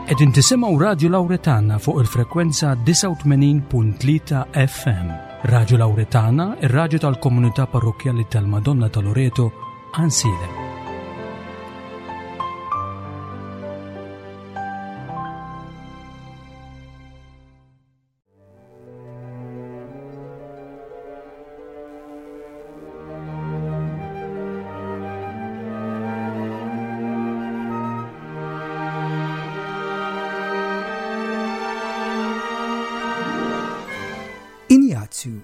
Qegħdin tisimgħu Radju Lawretana fuq il-frekwenza 89.3 FM. Radju Lawretana, ir-radju tal-komunità parrokkjali tal-Madonna ta' Loreto, Għansielem. Injazju.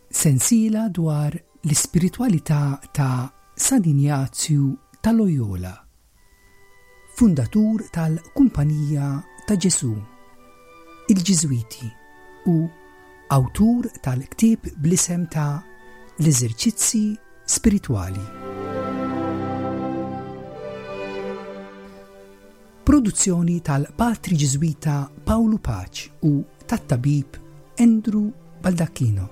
Sensiela dwar l-ispiritwalità ta' San Injazju ta' Loyola. Fundatur tal-Kumpanija ta' Ġesù, il-Ġiżwiti, u awtur tal-ktieb bl-isem ta' L-Eżerċizzi Spiritwali. Produzzjoni tal-Patri Ġiżwita Pawlu Paċ u tat-Tabib Andrew Baldacchino.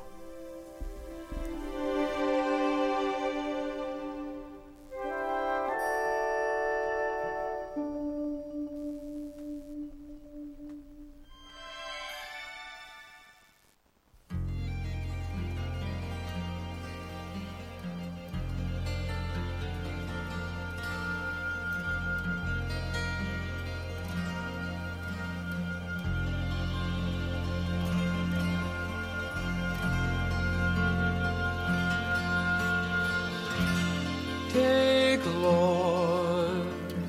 Take, Lord,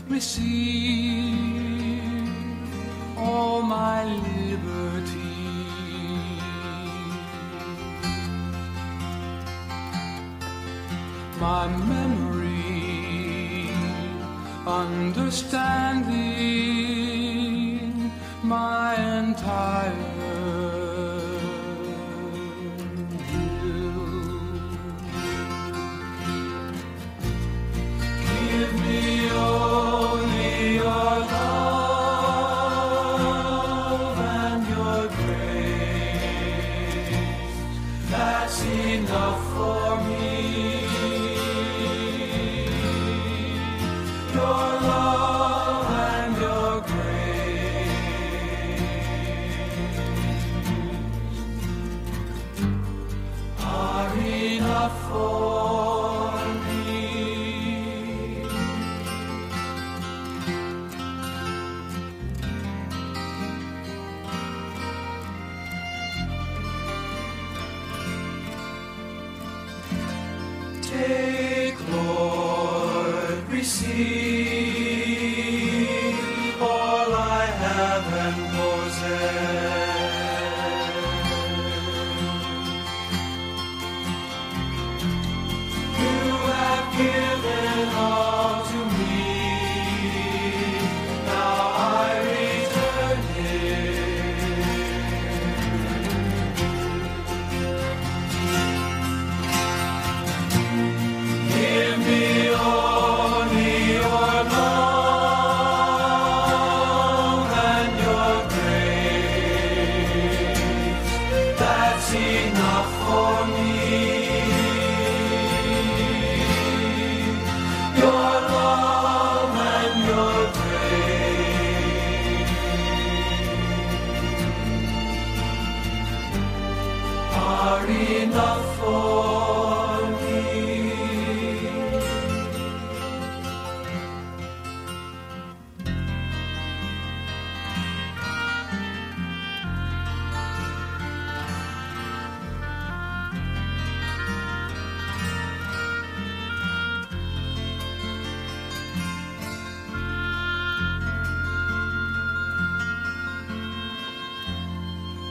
receive all my liberty. My memory, understanding, my entire Give me only your love and your grace. That's enough for me. Your love and your grace are enough for me. Take, Lord, receive all I have and possess. You have given all to me. Now I return it. Give me only your love and your grace. That's enough for me. Your love and your grace are enough for me.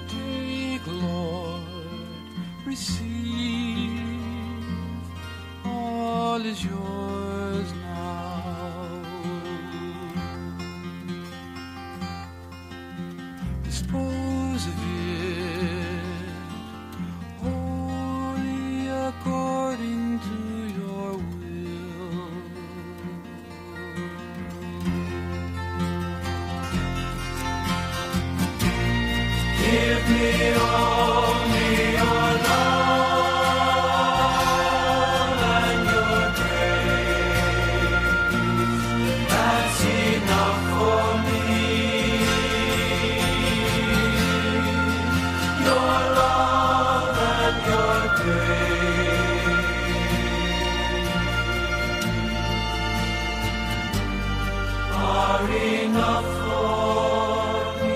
Take, Lord, receive, all is yours now. Dispose of it wholly according to your will. Give me only your love and your grace. Are enough for me.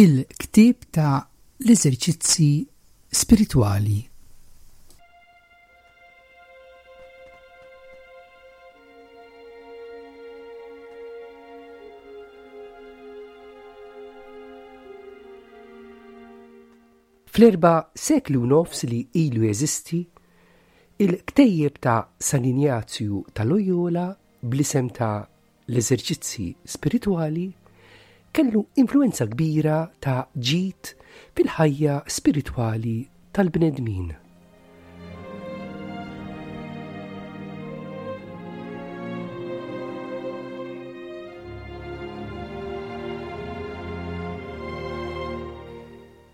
Il-ktieb ta' l-eżerċizzi spiritwali. Fl-erba' sekli u nofs li ilu jeżisti, il-ktejjeb ta' San Injazju ta' Loyola bl-isem ta' L-Eżerċizzi Spiritwali kellu influwenza kbira ta' ġid fil-ħajja spiritwali tal-bnedmin.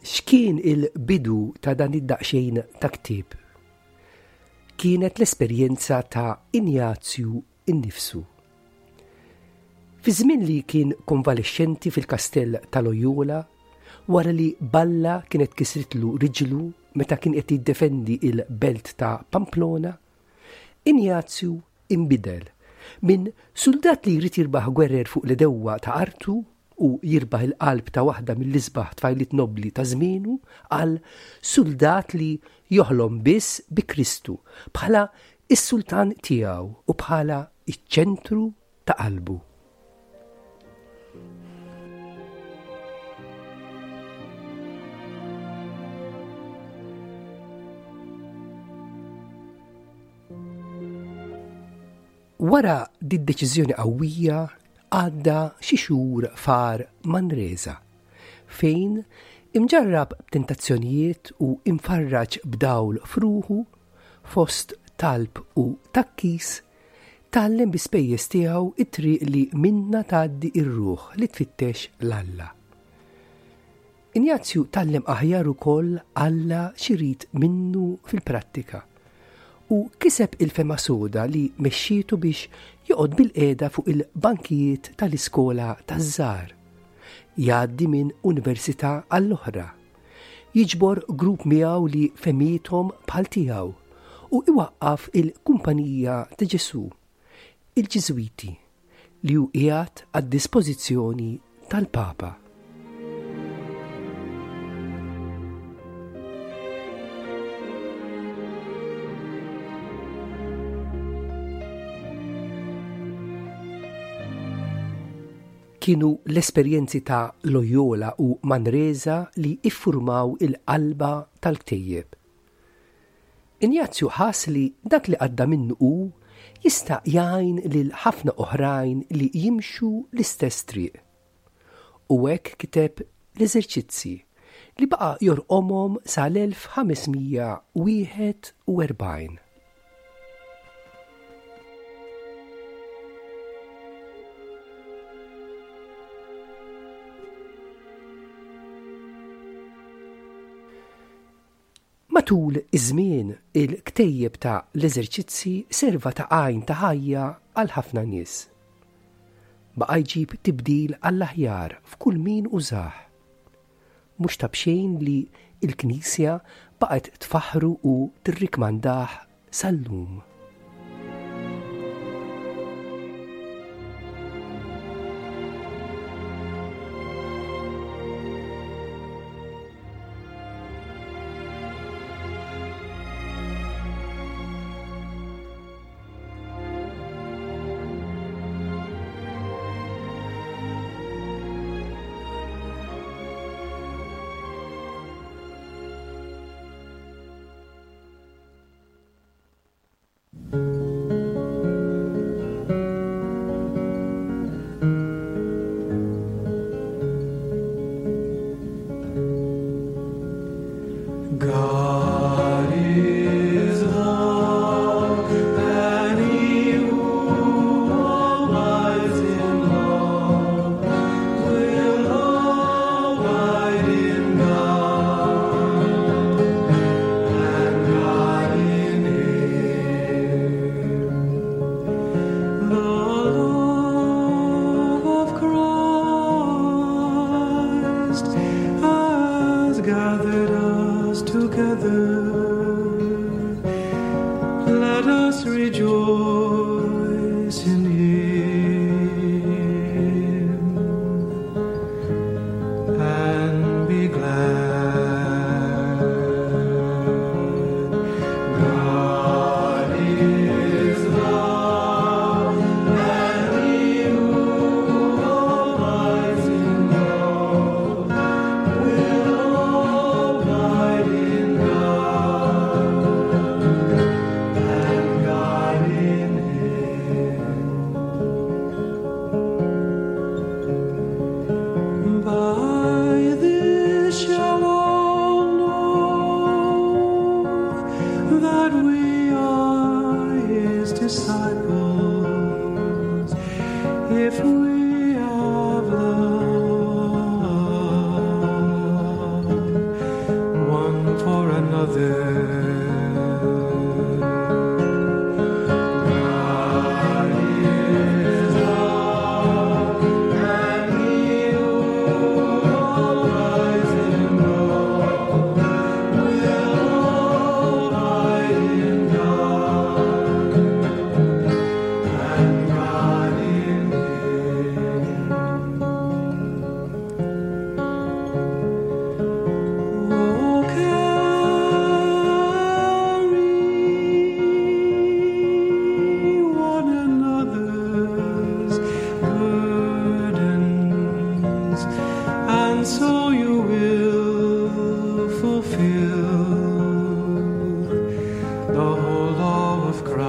X'kien il-bidu ta' dan id-daqsxejn ta' ktieb? Kienet l-esperjenza ta' Injazju nnifsu. Fi żmien li kien konvalexxenti fil-kastell ta' Loyola, wara li balla kienet kisritlu riġlu meta kien qed jiddefendi l-belt ta' Pamplona, Injazju inbidel minn suldat li jrid jirbaħ gwerer fuq l-għedewwa ta' artu u jirbaħ il-qalb ta' waħda mill-isbaħ tfajliet nobbli ta' żmienu għal suldat li joħlom biss bi Kristu bħala s-sultan tiegħu u bħala ċ-ċentru ta' qalbu. Wara did-deċiżjoni qawwija għadda xi xhur f'għar Manresa, fejn, imġarrab b'tentazzjonijiet u imfarraġ b'dawl f'ruħu, fost talb u tgħakkis, tgħallem bi spejjeż tiegħu t-triq li minnha tgħaddi r-ruħ li tfittex 'l Alla. Injazju tgħallem aħjar ukoll Alla x'irid minnu fil-prattika u kiseb il-fehma soda li mexxietu biex joqgħod bilqiegħda fuq il-bankijiet tal-iskola taż-żgħar, jgħaddi minn università għall-oħra, jiġbor grupp miegħu li fehmiethom bħal tiegħu u iwaqqaf il-Kumpanija ta' Ġesù, il-Ġiżwiti, li hu qiegħed għad-dispożizzjoni tal-Papa. Kienu l-esperjenzi ta' Loyola u Manresa li iffurmaw il-qalba tal-ktejjeb. Injazju ħass li dak li għadda minnu hu jista' jgħin lil ħafna oħrajn li jimxu l-istess triq. U hekk kiteb l-Eżerċizzi li baqa' jorqomhom sal-1541. Matul iż-żmien, il-ktejjeb ta' l-eżerċizzi serva ta' għajn ta' ħajja għal ħafna nies. Baqa' jġib tibdil għall-aħjar f'kull min użah. Mhux ta' b'xejn li l-Knisja baqgħet tfaħħru u tirrikmandah sal-lum. God is love, and he who abides in love will abide in God, and God in him. The love of Christ has gathered us together. Let us rejoice in Him and be glad. God is love, and he who abides in love will abide in God, and God in him. By this shall all know that we are his disciples, if we have love one for another. God is love, and he who abides in love will abide in God, and God in him. Oh, carry one another's burdens, and so you will fulfill the whole law of Christ.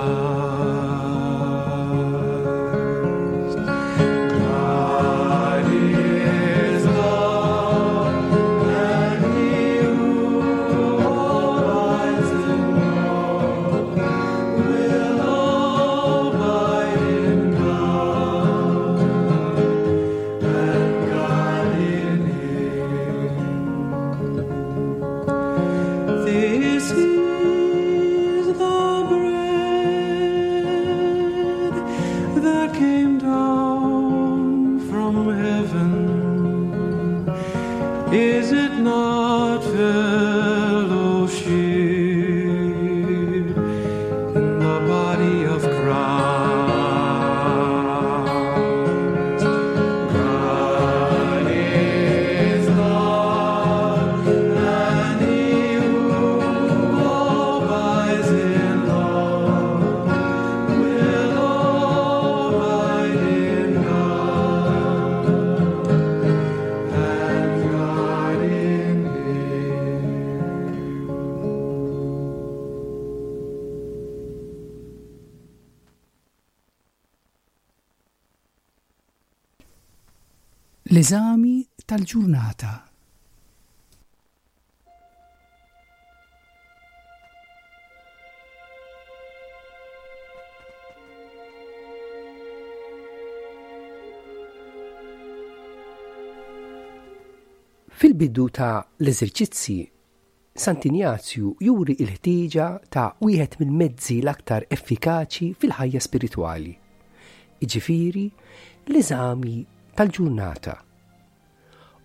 God is love, and he who abides in love will abide in God, and God in him. This is the bread that came down from heaven. Is it not fellowship in the body of Christ? God is love, and he who abides in love will abide in God, and God in him. L-eżami tal-ġurnata. Fil-bidu ta' l-eżerċizzi, Sant'Injazju juri l-ħtieġa ta' wieħed mill-mezzi l-aktar effikaċi fil-ħajja spiritwali, jiġifieri l-eżami tal-ġurnata.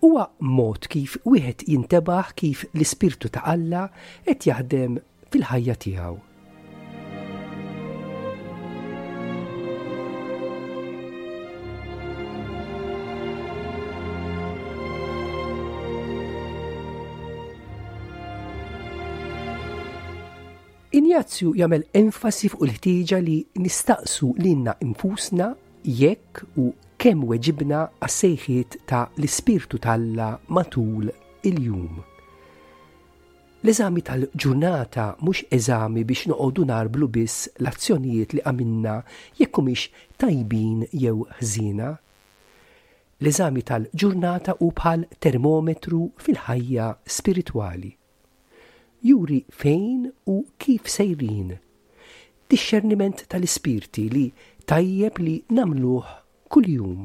Huwa mod kif wieħed jintebaħ kif l-Ispirtu ta' Alla qed jaħdem fil-ħajja tiegħu. Injazju jagħmel enfasi fuq il-ħtieġa li nistaqsu lilna infusna jekk u kemm weġibna għas-sejħiet ta' l-Ispirtu t'Alla matul il-jum. L-eżami tal-ġurnata mhux eżami biex noqogħdu nagħrblu biss l-azzjonijiet li għamilna jekk humiex tajbin jew ħżiena. L-eżami tal-ġurnata hu bħal termometru fil-ħajja spiritwali. Juri fejn u kif sejrin. Dixxerniment tal-ispirti li tajjeb li nagħmluh kuljum.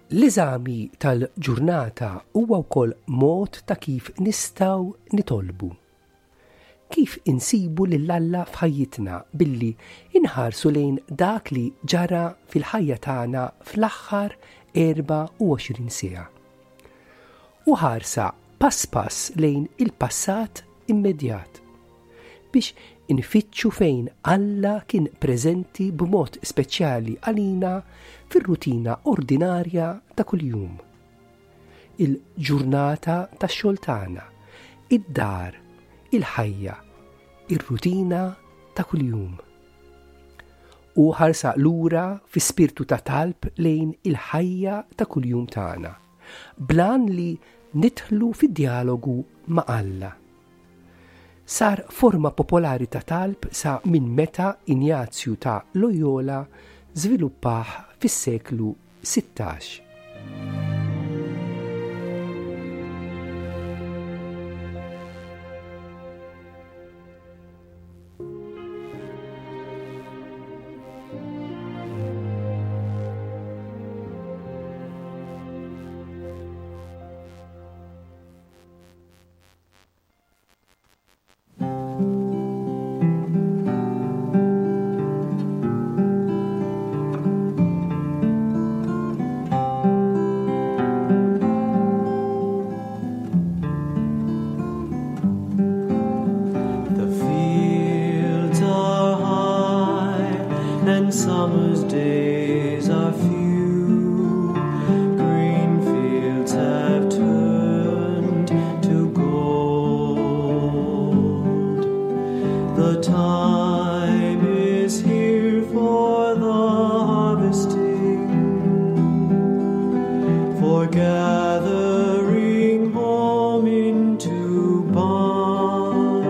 L-eżami tal-ġurnata huwa wkoll mod ta' kif nistgħu nitolbu. Kif insibu lil Alla f'ħajjitna billi inħarsu lejn dak li ġara fil-ħajja tagħna fl-aħħar 24 siegħa. U ħarsa pass pass lejn il-passat immedjat biex infittxu fejn Alla kien preżenti b'mod speċjali għalina fir-rutina ordinarja ta' kuljum. Il-ġurnata tax-xogħol tagħna, id-dar, il-ħajja, ir-rutina ta' kuljum. U ħarsa lura fi spirtu ta' talb lejn il-ħajja ta' kuljum tagħna, blan li nidħlu fid-djalogu ma' Alla. Sar forma popolari ta' talb sa minn meta Injazju ta' Loyola żviluppah fis-seklu 16. The fields are high and summer's days are few. Green fields have turned to gold. The time is here for the harvesting, for gathering home into barns.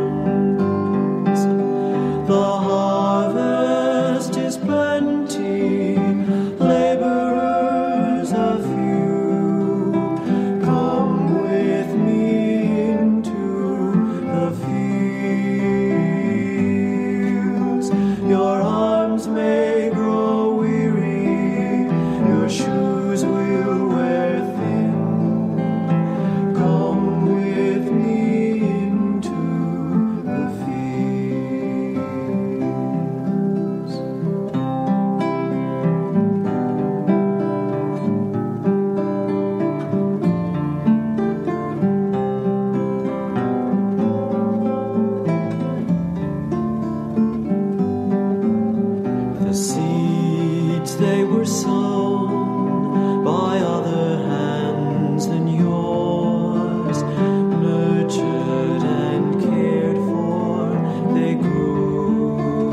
The harvest is plenty, laborers are few. Come with me into the fields. Your arms may grow weary, your shoes will wear thin. Come with me into the fields. The seeds they were sown by other hands than yours, nurtured and cared for, they grew.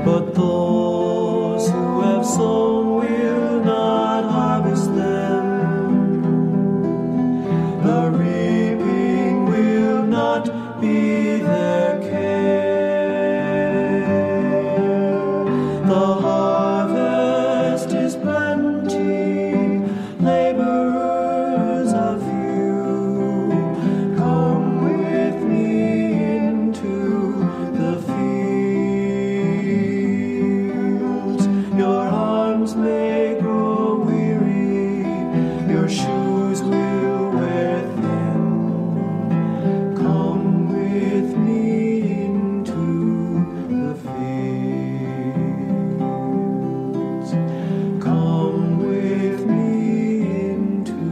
But those who have sown will not harvest them. The reaping will not be their care. The harvest is plenty, laborers are few. Come with me into the fields. Your arms may grow weary, your shoes will wear thin. Come with me into the fields. Come with me into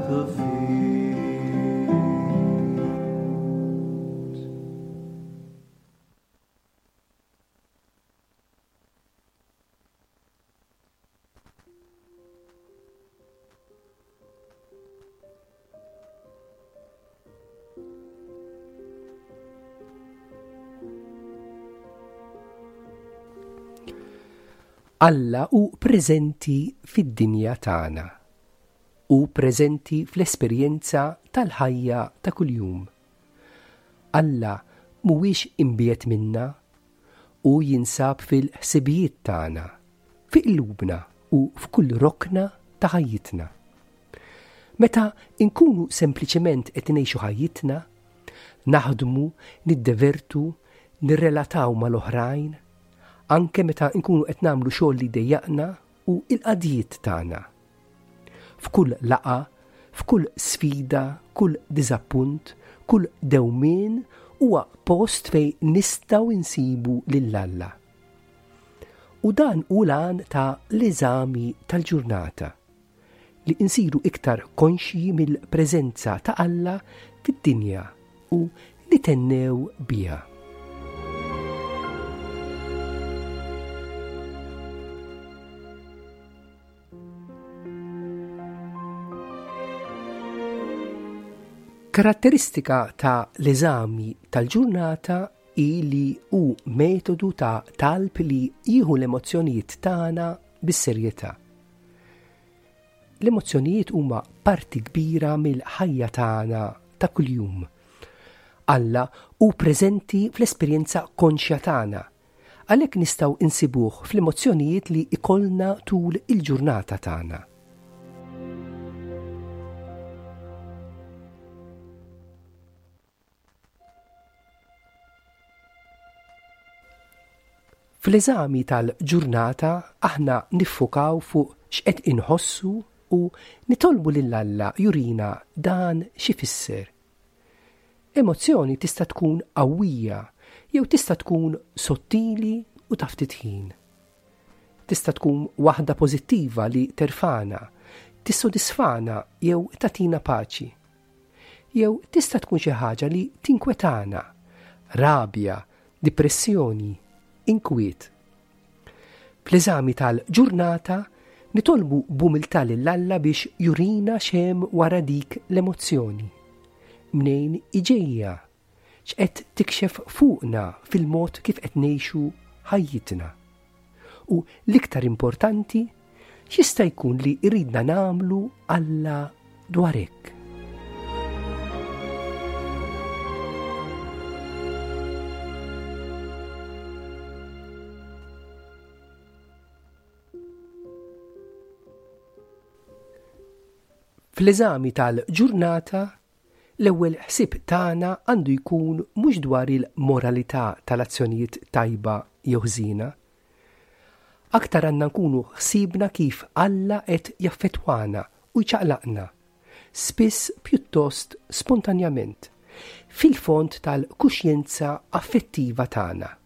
the fields. Alla hu preżenti fid-dinja tagħna. Hu preżenti fl-esperjenza tal-ħajja ta' kuljum. Alla mhuwiex imbiegħed minna, hu jinsab fil-ħsibijiet tagħna, fi qlubna u f'kull rokna ta' ħajjitna. Meta nkunu sempliċement qed ngħixu ħajjitna, naħdmu, niddevertu, nirrelataw mal-oħrajn, anke meta nkunu qed nagħmlu xogħol li jdejjaqna u l-qadjiet tagħna. F'kull laqgħa, f'kull sfida, kull diżappunt, kull dewmien huwa post fejn nistgħu nsibu lil Alla. U dan hu l-għan ta' l-eżami tal-ġurnata, li nsiru iktar konxji mill-preżenza ta' Alla fid-dinja u nithennew biha. Karatteristika ta' l-eżami tal-ġurnata hi li hu metodu ta' talb li jieħu l-emozzjonijiet tagħna bis-serjetà. L-emozzjonijiet huma parti kbira mill-ħajja tagħna ta' kuljum. Alla hu preżenti fl-esperjenza konxja tagħna Għalhekk nistgħu nsibuh fl-emozzjonijiet li jkollna tul il-ġurnata tagħna. Fl-eżami tal-ġurnata aħna niffukaw fuq x'qed inħossu u nitolbu lil Alla jurina dan x'ifisser. Emozzjoni tista' tkun qawwija jew tista' tkun sottili u ta' ftit ħin. Tista' tkun waħda pożittiva li terfagħna, tissodisfana jew tagħtina paċi. Jew tista' tkun xi ħaġa li tinkwetana, rabja, dipressjoni, inkwiet. Fl-eżami tal-ġurnata nitolbu b'umiltà lil Alla biex jurina x'hemm wara dik l-emozzjoni. Mnejn hi ġejja? X'qed tikxef fuqna fil-mod kif qed ngħixu ħajjitna? U l-iktar importanti, x'jista' jkun li jridna nagħmlu Alla dwar hekk? Fl-eżami tal-ġurnata, l-ewwel ħsieb tagħna għandu jkun mhux dwar il-moralità tal-azzjonijiet tajba jew ħżiena. Aktar għandna nkunu ħsiebna kif Alla qed jaffettwana u jċaqlaqna, spiss pjuttost spontanjament, fil-fond tal-kuxjenza affettiva tagħna.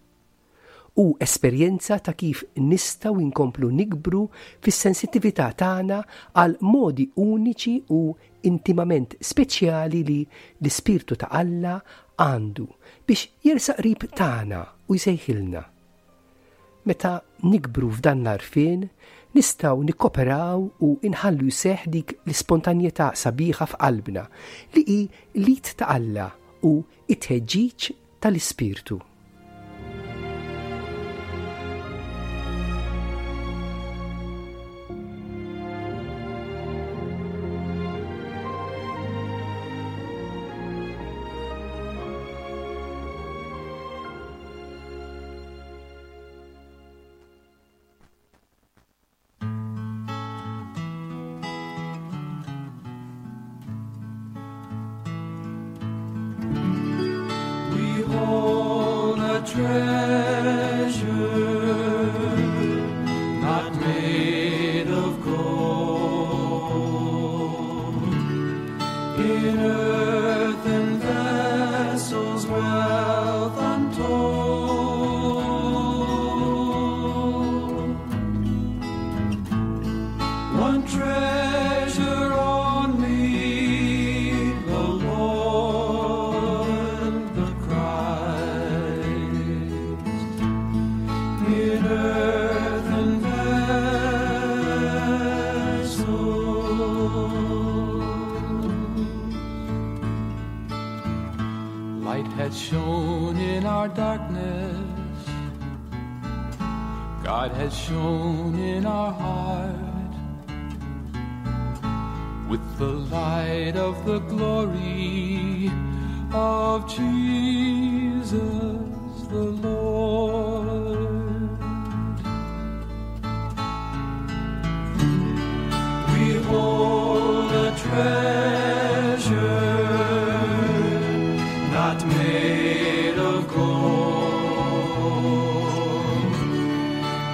Hu esperjenza ta' kif nistgħu nkomplu nikbru fis-sensittività tagħna għal modi uniċi u intimament speċjali li l-Ispirtu ta' Alla għandu biex jersaq qrib tagħna u jsejħilna. Meta nikbru f'dan l-għarfien, nistgħu nikkoperaw u nħallu jseħħ dik l-ispontanjetà sabiħa f'qalbna li hi l-id ta' Alla u t-tħeġġiġ tal-Ispirtu. We hold a treasure not made of gold in earthen vessels wealth untold. One treasure only, the Lord, the Christ, in earthen vessels. Light had shone in our darkness. God has shone in our heart with the light of the glory of Jesus. Jesus the Lord. We hold a treasure not made of gold,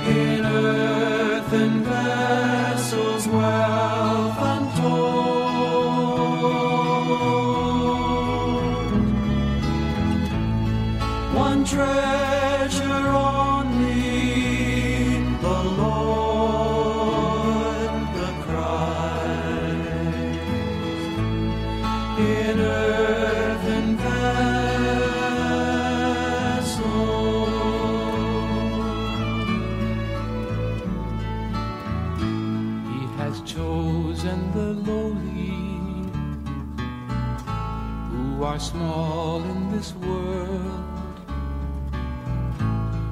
in earthen vessels, wealth untold. One treasure only, the Lord, the Christ, in earthen vessels. He has chosen the lowly, who are small in this world.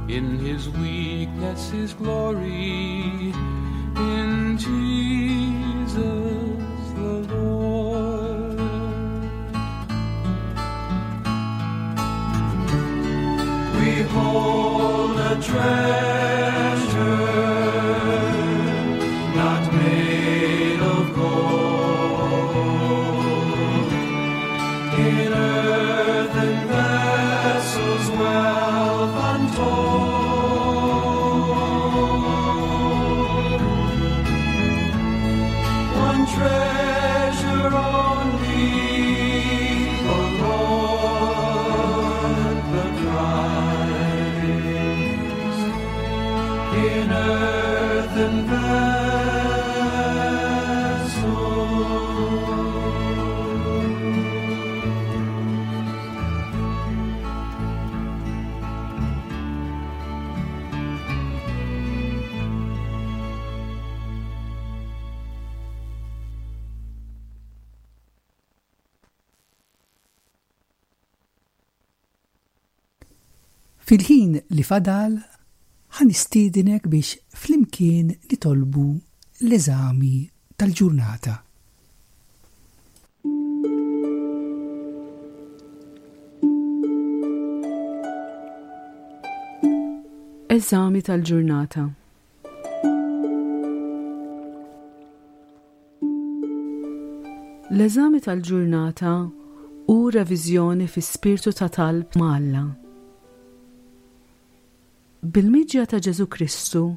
In his weakness, his glory, in Jesus the Lord. We hold a treasure not made of gold, in earthen vessels, wealth untold. One treasure only, the Lord, the Christ, in earthen vessels. Fil-ħin li fadal, ħa nistiednek biex flimkien nitolbu l-eżami tal-ġurnata. Eżami tal-ġurnata. L-eżami tal-ġurnata hu reviżjoni fi spirtu ta' talb ma' Alla. Bil-miġja ta' Ġesù Kristu,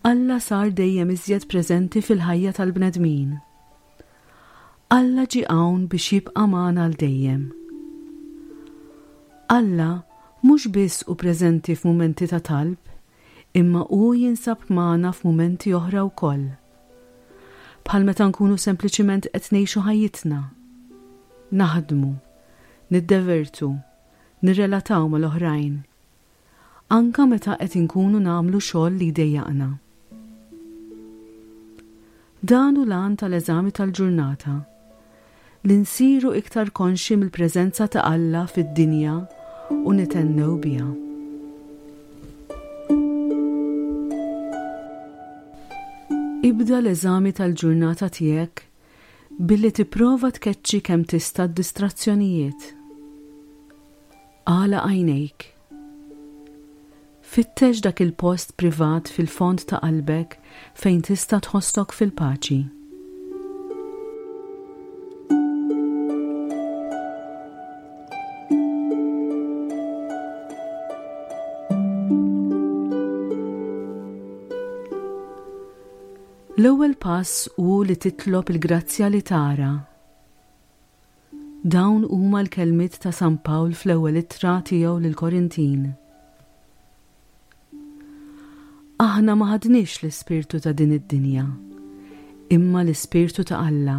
Alla sar dejjem iżjed preżenti fil-ħajja tal-bnedmin. Alla ġie hawn biex jibqa' magħna għal dejjem. Alla mhux biss hu preżenti f'mumenti ta' talb, imma hu jinsab magħna f'mumenti oħra wkoll. Bħal meta nkunu sempliċiment qed ngħixu ħajjitna, naħdmu, niddevertu, nirrelataw mal-oħrajn, anke meta qed inkunu nagħmlu xogħol li jdejjaqna. Dan hu l-għan tal-eżami tal-ġurnata, li nsiru iktar konxji mill-preżenza ta' Alla fid-dinja u nithennew biha. Ibda l-eżami tal-ġurnata tiegħek billi tipprova tkeċċi kemm tista' d-distrazzjonijiet. Agħlaq għajnejk. Fittex dak il-post privat fil-fond ta' qalbek fejn tista' tħossok fil-paċi. L-ewwel pass hu li titlob il-grazzja li tara. Dawn huma l-kelmiet ta' San Pawl fl-ewwel ittra tiegħu lill-Korintin. Aħna ma ħadniex l-ispirtu ta' din id-dinja, imma l-ispirtu ta' Alla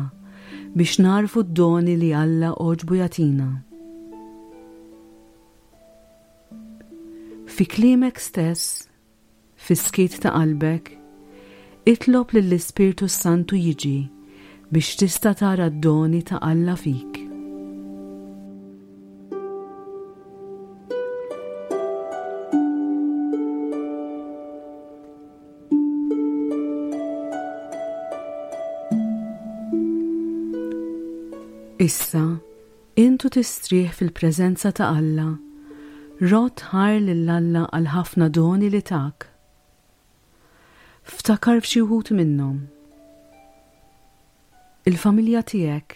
biex nagħrfu d-doni li Alla għoġbu jagħtina. Fi kliemek stess, Fis-skiet ta' qalbek, itlob lill-Ispirtu s-Santu jiġi biex tista' tara d-doni ta' Alla fik. Issa, int u tistrieħ fil-preżenza ta' Alla. Rodd ħajr lil Alla għall-ħafna doni li tak. Ftakar f'xi wħud minnhom. Il-familja tiegħek.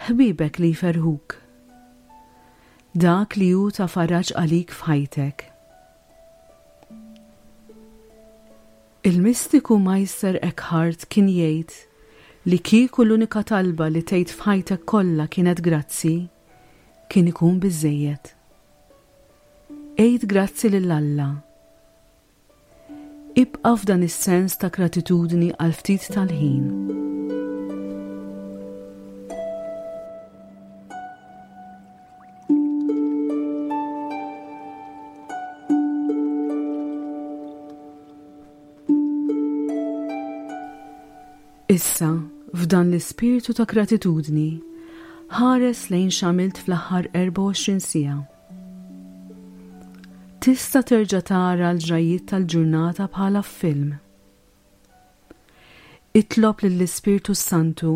Ħbiebek li jferrħuk. Dak li hu ta' faraġ għalik f'ħajtek. Il-mistiku Meister Eckhart kien jgħid li kieku l-unika talba li tgħid f'ħajtek kollha kienet grazzi, kien ikun biżżejjed. Għid grazzi lil Alla. Ibqa' f'dan is-sens ta' gratitudni għal ftit tal-ħin. Issa, f'dan l-ispirtu ta' gratitudni, ħares lejn x'għamilt fl-aħħar 24 siegħa. Tista' terġa' tara l-ġrajjiet tal-ġurnata bħala f'film. Itlob lill-Ispirtu s-Santu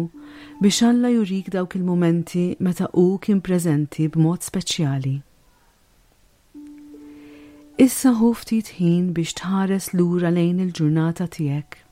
biex Alla jurik dawk il-mumenti meta hu kien preżenti b'mod speċjali. Issa ħu ftit ħin biex tħares lura lejn il-ġurnata tiegħek.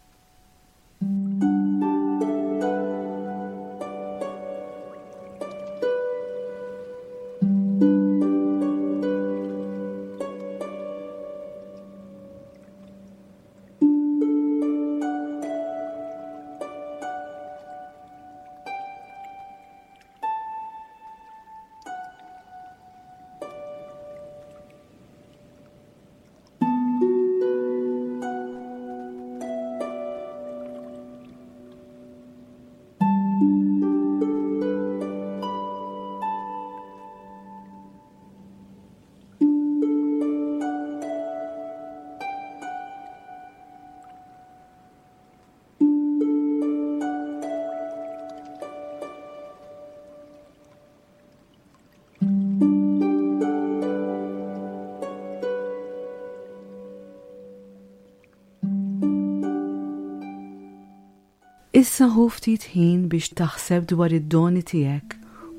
Issa ħu ftit ħin biex taħseb dwar id-doni tiegħek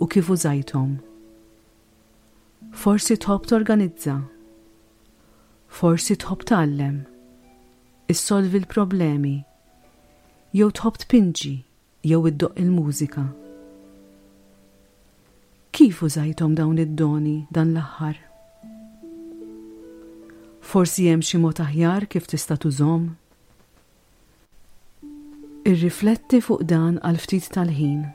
u kif użajthom. Forsi tħobb torganizza. Forsi tħobb tgħallem. Issolvi l-problemi. Jew tħobb tpinġi jew iddoqq il-mużika. Kif użajthom dawn id-doni dan l-aħħar? Forsi hemm xi mod aħjar kif tista' tużhom? Irrifletti fuq dan għal ftit tal-ħin.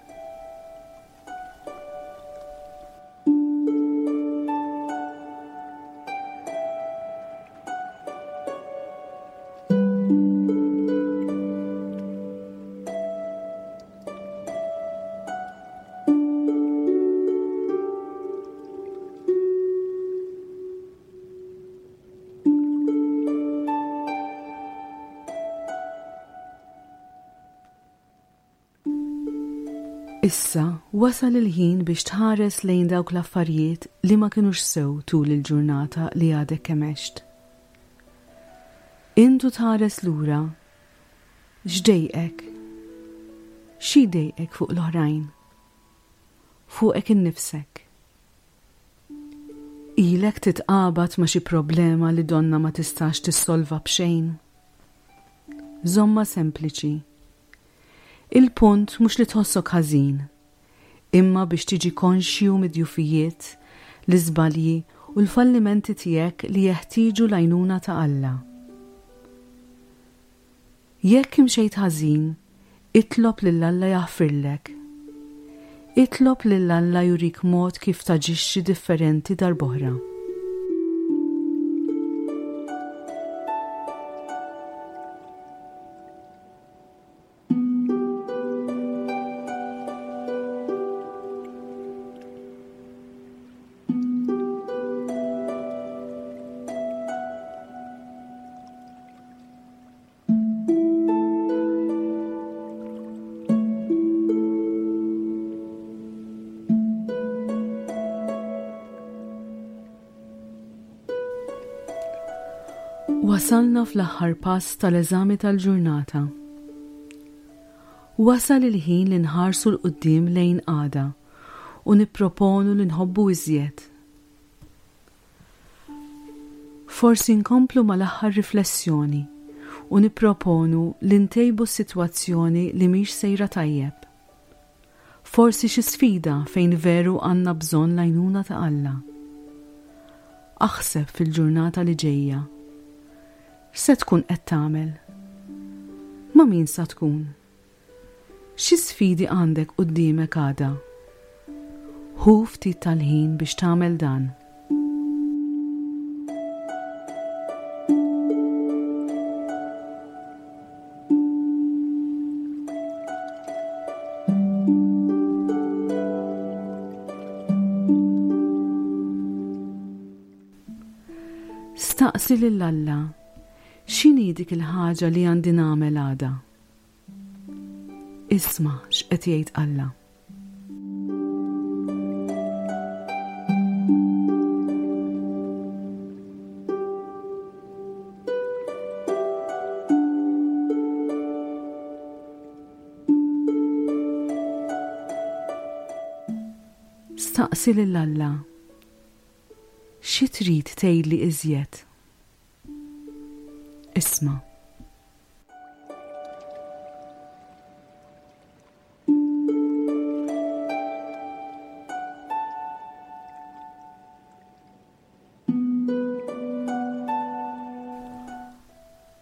Issa wasal il-ħin biex tħares lejn dawk l-affarijiet li ma kinux sew tul il-ġurnata li għadek kemm għext. Int u tħares lura, x'dejqek? Xi jdejqek fuq l-oħrajn? Fuqek innifsek? Ilek titqabad ma' xi problema li donnha ma tistax tissolva b'xejn? Żommha sempliċi. Il-punt mhux li tħossok ħażin, imma biex tiġi konxju mid-djufijiet, l-iżbalji u l-fallimenti tiegħek li jeħtieġu l-għajnuna ta' Alla. Jekk imxejt ħażin, itlob lil Alla jaħfirlek. Itlob lil Alla jurik mod kif taġixxi differenti darb'oħra. Wasalna fl-aħħar pass tal-eżami tal-ġurnata. Wasal il-ħin li nħarsu 'l quddiem lejn għada u nipproponu li nħobbu iżjed. Forsi nkomplu mal-aħħar riflessjoni u nipproponu li ntejbu s-sitwazzjoni li mhix sejra tajjeb. Forsi xi sfida fejn veru għandna bżonn l-għajnuna ta' Alla. Aħseb fil-ġurnata li ġejja. X'se tkun qed tagħmel? Ma' min sa tkun? Xi sfidi għandek quddiemek għada? Ħu ftit tal-ħin biex tagħmel dan. Staqsi lil Alla, x'inhi dik il-ħaġa li għandi nagħmel għada? Isma' x'qed jgħid Alla. Staqsi lil Alla, xi trid tgħidli iżjed? Isma'.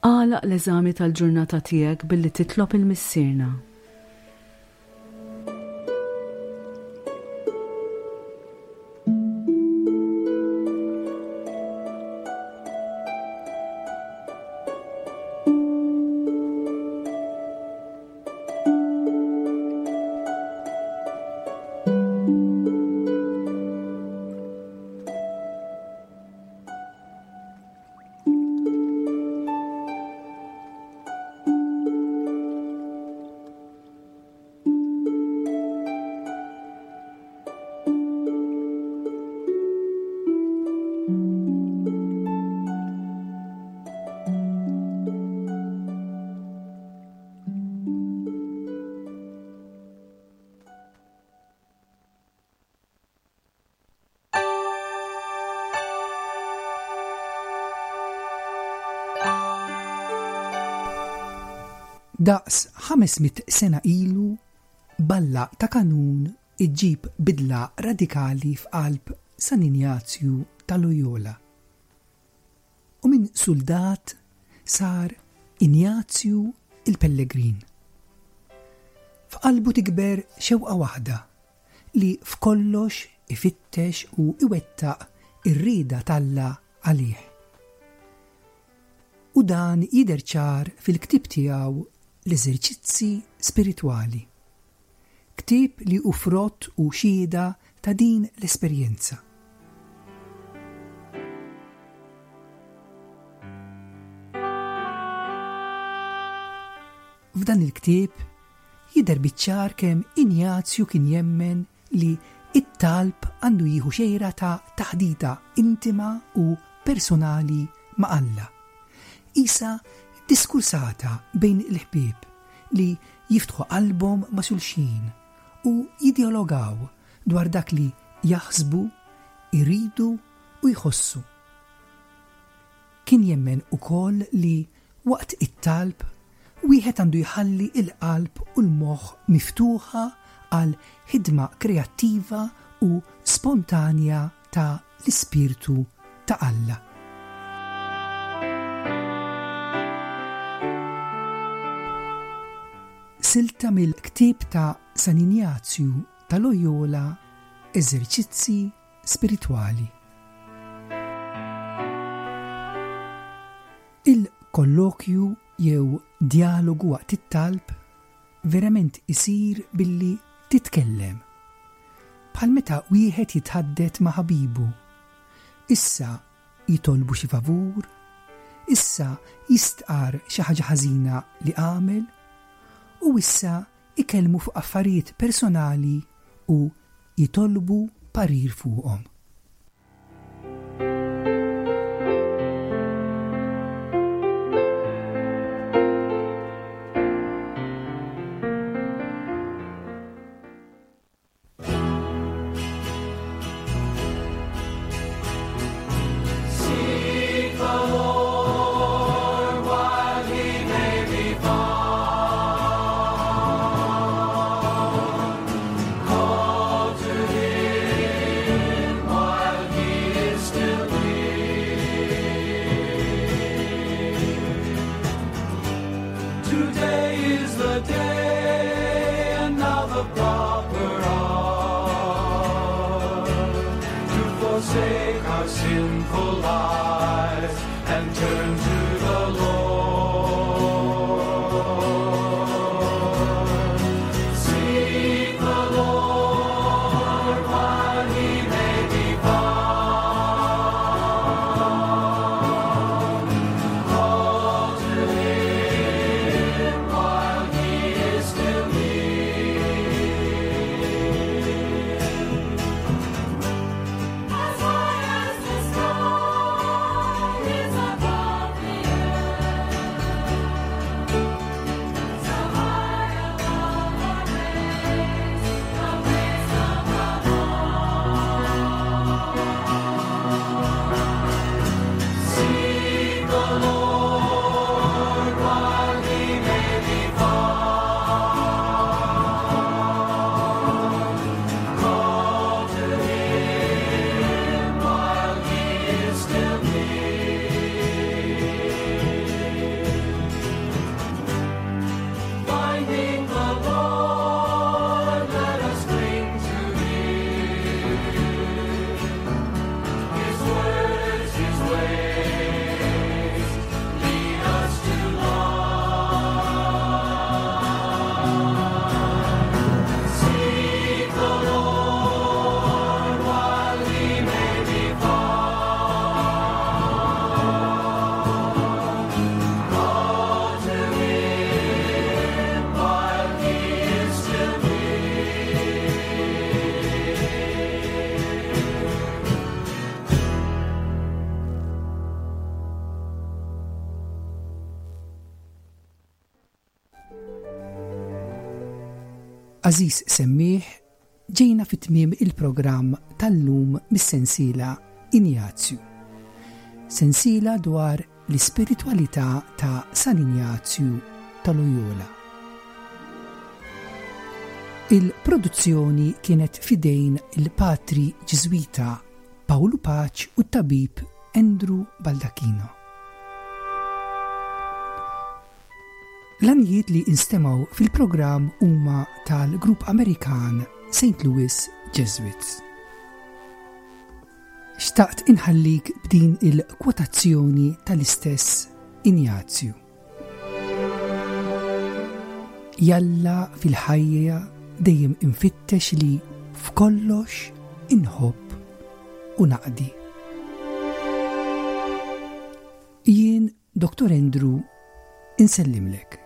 Agħlaq l-eżami tal-ġurnata tiegħek billi titlob il-Missierna. Daqs 500 sena ilu, balla ta' kanun iġġib bidla radikali f'qalb San Injazju ta' Loyola. U minn suldat sar Injazju il-Pellegrin. F'qalbu tikber xewqa waħda li f'kollox ifittex u iwettaq ir-rieda t'Alla għalih. U dan jidher ċar fil-ktieb tiegħu L-Eżerċizzi Spiritwali. Ktieb li hu frott u xhieda ta' din l-esperjenza. F'dan il-ktieb jidher biċ-ċar kemm Injazju kien jemmen li t-talb għandu jieħu xejra ta' taħdita intima u personali ma' Alla. Qisha diskursata bejn il-ħbieb li jiftħu qalbhom ma' xulxin u jidjalogaw dwar dak li jaħsbu, iridu u jħossu. Kien jemmen ukoll li waqt it-talb wieħed għandu jħalli l-qalb u l-moħħ miftuħa għal ħidma kreattiva u spontanja ta' l-Ispirtu ta' Alla. Silta mill-ktieb ta' San Injazju ta' Loyola Eżerċizzi Spiritwali. Il-kollokju jew djalogu waqt it-talb verament isir billi titkellem. Bħal meta wieħed jitħaddet ma' ħabibu. Issa jitolbu xi favur, issa jistqarr xi ħaġa ħażina li għamel, u issa ikellmu fuq affarijiet personali u jitolbu parir fuqhom. Għażiż semmiegħ, ġejna fi tmiem il-programm tal-lum mis-sensiela Injazju. Sensiela dwar l-ispiritwalità ta' San Injazju ta' Loyola. Il-produzzjoni kienet f'idejn il-Patri Ġiżwita Pawlu Paċ u t-tabib Andrew Baldacchino. L-għanjiet li instemgħu fil-programm huma tal-grupp Amerikan St. Louis Jesuits. Xtaqt inħallik b'din il-kwotazzjoni tal-istess Injazju. Jalla fil-ħajja dejjem infittex li f'kollox inħobb u naqdi. Jien Dr. Andrew insellimlek.